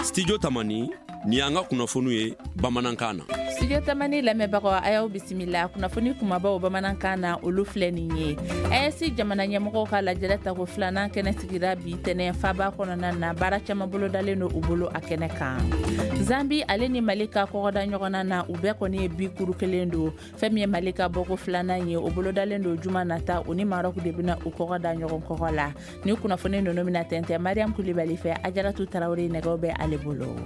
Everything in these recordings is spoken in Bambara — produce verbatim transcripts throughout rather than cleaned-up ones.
Studio Tamani, ni y'an ka kunnafoniw ye bamanankan na. Studio Tamani lamɛnbagaw, a y'aw bisimila. Kunnafoni kumabaw bamanankan na, olu filɛ nin ye: A E S jamana ɲɛmɔgɔw ka lajɛrɛ tako filanan kɛnɛ sigira bi tɛnɛ faba kɔnɔna na. Baara caman bolodalen don u bolo a kɛnɛ kan. Zambi ale ni Mali ka kɔgɔda ɲɔgɔnna na, u bɛɛ kɔni ye bi kuru kelen don. Fɛn min ye Mali ka bɔko filanan ye, o bolodalen don juma nata. U ni Marɔku de bɛna u kɔgɔ da ɲɔgɔn kɔgɔ la. Ni kunnafoni ninnu bɛna tɛntɛn Mariam Kulibali fɛ. Ajaratu Tarawele nɛgɛw bɛ ale bolo.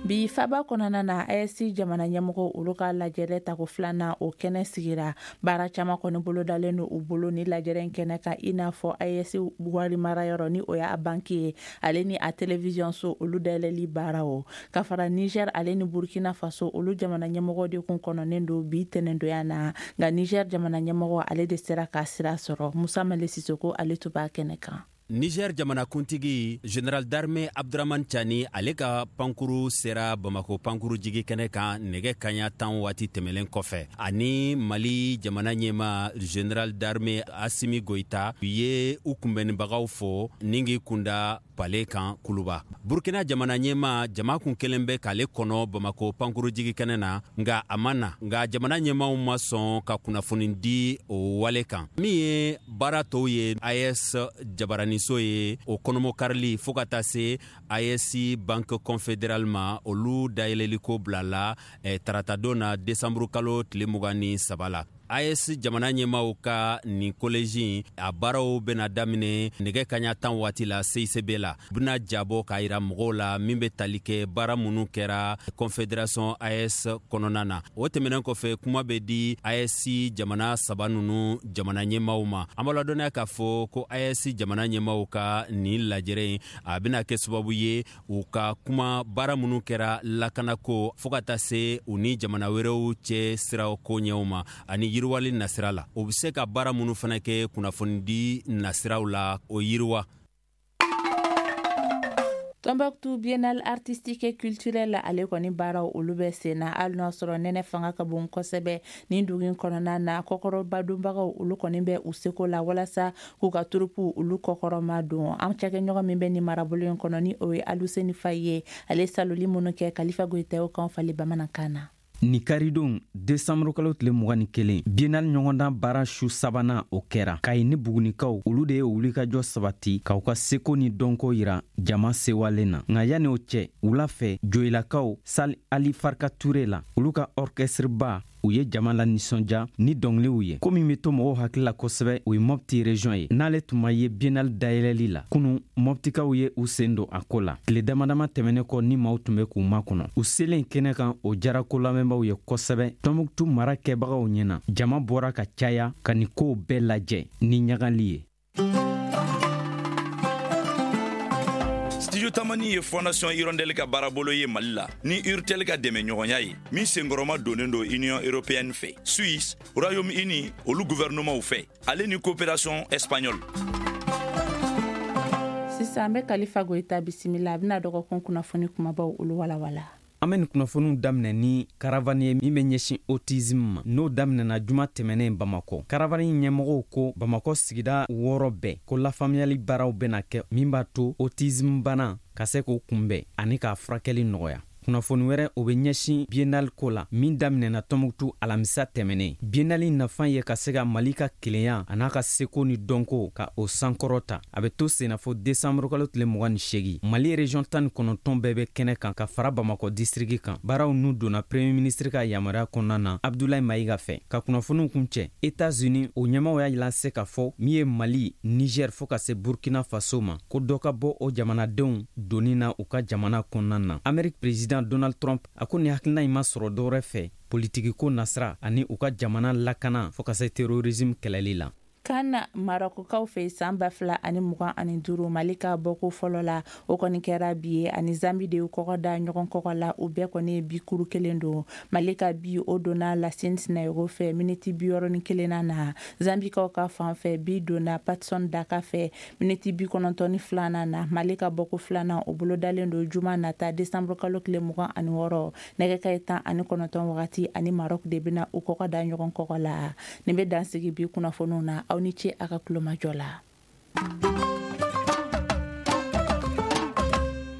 Bi faba kɔnɔna na, A E S jamana ɲɛmɔgɔ olu ka lajɛrɛ tako filanan, o kɛnɛ sigira. Baara caman kɔni bolodalen don u bolo ni lajɛrɛ in kɛnɛ kan, i n'a fɔ A E S wari marayɔrɔ, ni o y'a banki ye, ale ni a télévision so, olu dayɛlɛli baaraw ka fara. Niger ale ni Burkina Faso, olu jamana ɲɛmɔgɔ de kun kɔnɔnen don bi tɛnɛndonya na, nka Niger jamana ɲɛmɔgɔ, ale de sera ka sira sɔrɔ. Musa Male Sisoko, ale tun b'a kɛnɛ kan. Niger jamanakuntigi, général d'armée Abdramane Tiani, ale ka pankuru sera Bamako pankuru jigi kɛnɛ kan nɛgɛ kaɲa tan waati tɛmɛlen kɔfɛ. Ani Mali jamana ɲɛma, général d'armée Assimi Goïta, u ye u kunbɛnnibagaw fo ni k'i kunda palais kan Kuluba. Burkina jamana ɲɛma, jama kun kelen bɛ k'ale kɔnɔ Bamako pankuru jigi kɛnɛ na, nga a ma na. Nga jamana ɲɛmaw ma sɔn ka kunnafoni di o wale kan. Min ye baara tɔw ye, A E S jabaraniso ye, o kɔnɔmɔkarili fɔɔ ka taa se A E S Banque Confédérale ma, olu dayɛlɛliko bilala eh, taratadon na, desanburu kalo tile mugan ni saba la. A E S jamana ɲɛmaw ka nin collège, a baaraw bena daminɛ nɛgɛ kaɲa tan waati la C I C B la. U bena jabɔ k'a yira mɔgɔw la min be tali kɛ baara minnu kɛra Confédération A E S kɔnɔna na. O tɛmɛnen kɔfɛ, kuma bɛ di A E S jamana saba nunu jamana ɲɛmaw ma. An b'a ladɔnniya k'a fɔ ko A E S jamana ɲɛmaw ka nin lajɛrɛ in, a bena kɛ sababu ye u ka kuma baara minnu kɛra lakanako fɔɔ ka taa se u ni jamana wɛrɛw cɛ siraw koɲɛw ma ani yiriwali nasira la. O be se ka baara minnu fana kɛ kunnafonidi nasiraw la, o yiriwa. Tombouctou Biennale artistique et culturelle, ale kɔni baaraw, olu bɛ sen na, hali n'a sɔrɔ nɛnɛ fanga ka bon kosɛbɛ nin dugu in kɔnɔna na. Kɔkɔrɔba donbagaw, olu kɔni bɛ u seko la walasa k'u ka troupe olu kɔkɔrɔma don. An cakɛɲɔgɔn min bɛ nin marabolo in kɔnɔ, ni o ye Aluseni Faye ye, ale saloli minnu kɛ Kalifa Goyitaw kan fali bamanankan na. Ni karidon, desanburukalo tile mugan ni kelen, biennale ɲɔgɔndan baara su sabanan, o kɛra Kayi ni Bugunikaw. Olu de ye wulikajɔ sabati k'aw ka seko ni dɔnko yira jama sewalen na. Nka yanni o cɛ, wula fɛ, Joyilakaw, salle Ali Farka Ture la, olu ka orchestre ba, u ye jama la nisɔndiya ni dɔngiliw ye. Ko min be to mɔgɔw hakili la kosɛbɛ, o ye Mɔpti région ye, n'ale tun ma ye biennale dayɛlɛli la kunu. Mɔptikaw ye u sen don a ko la tile damadama tɛmɛnen kɔ ni maaw tun bɛ k'u makɔnɔ. U selen kɛnɛ kan, o jara ko lamɛnbaw ye kosɛbɛ. Tɔnbuktu mara kɛbagaw ɲɛna, jama bɔra ka caya ka nin kow bɛɛ lajɛ ni ɲagali ye. Studio Tamani ye Fondation Hirondelle ka baarabolo ye Mali la ni Urtel ka dɛmɛ ɲɔgɔnya ye, min senkɔrɔma donnen don Union européenne fɛ, Suisse, Royaume Uni olu gouvernementw fɛ, ale ni coopération espagnole. Sisan, an bɛ Kalifa Goyita bisimila. A bɛna dɔgɔkun kunnafoni kumabaw olu walawala. An bɛ nin kunnafoniw daminɛ ni caravane ye min bɛ ɲɛsin autisme ma, n'o daminɛna juma tɛmɛnen Bamakɔ. Caravane ɲɛmɔgɔw ko Bamakɔ sigida wɔɔrɔ bɛɛ ko lafaamuyali baaraw bɛna kɛ min b'a to autisme bana ka se k'o kunbɛn ani k'a furakɛli nɔgɔya. Kunnafoni wɛrɛ, o bɛ ɲɛsin biennale ko la min daminɛna Tɔnbuktu alamisa tɛmɛnen. Biennale nafa ye ka se ka Mali ka kelenya a n'a ka seko ni dɔnko ka o sankɔrɔ ta. A bɛ to sennafo desanburukalo tile mugan ni segi. Mali région tan ni kɔnɔntɔn bɛɛ bɛ kɛnɛ kan ka fara Bamakɔ district kan. Baaraw n'u donna premier ministre ka yamaruya kɔnɔna na, Abdulayi Mayiga fɛ. Ka kunnafoniw kun cɛ, Etats-Unis o ɲɛmaw y'a lase k'a fɔ min ye Mali, Niger fɔɔ ka se Burkina Faso ma, ko dɔ ka bɔ o jamanadenw donni na u ka jamana kɔnɔna na. Amérique président Donald Trump, a ko nin hakilina in ma sɔrɔ dɔwɛrɛ fɛ politikiko nasira ani u ka jamana lakana fɔɔ ka se terrorisme kɛlɛli la. Kan Marɔkukaw fɛ, san ba fila ani mugan ani duuru, Mali ka bɔko fɔlɔ la, o kɔni kɛra bi ye. Ani Zambi de y'u kɔgɔ da ɲɔgɔn kɔgɔ la. U bɛɛ kɔni ye bi kuru kelen don. Mali ka bi, o donna Lasine Sinayogo fɛ miniti bi wɔɔrɔ ni kelenna na. Zambikaw ka fan fɛ, bi donna Patson Daka fɛ miniti bi kɔnɔntɔn ni filanan na. Mali ka bɔko filanan, o bolo dalen don juma nata, desanburu kalo tile mugan ani wɔɔrɔ, nɛgɛ kaɲɛ tan ani kɔnɔntɔn wagati. Ani Marɔk de bɛna u kɔgɔ da ɲɔgɔn kɔgɔ la. Nin bɛ dansigi bi kunnafoniw na. Aw ni ce a ka kulomajɔ la. Ye.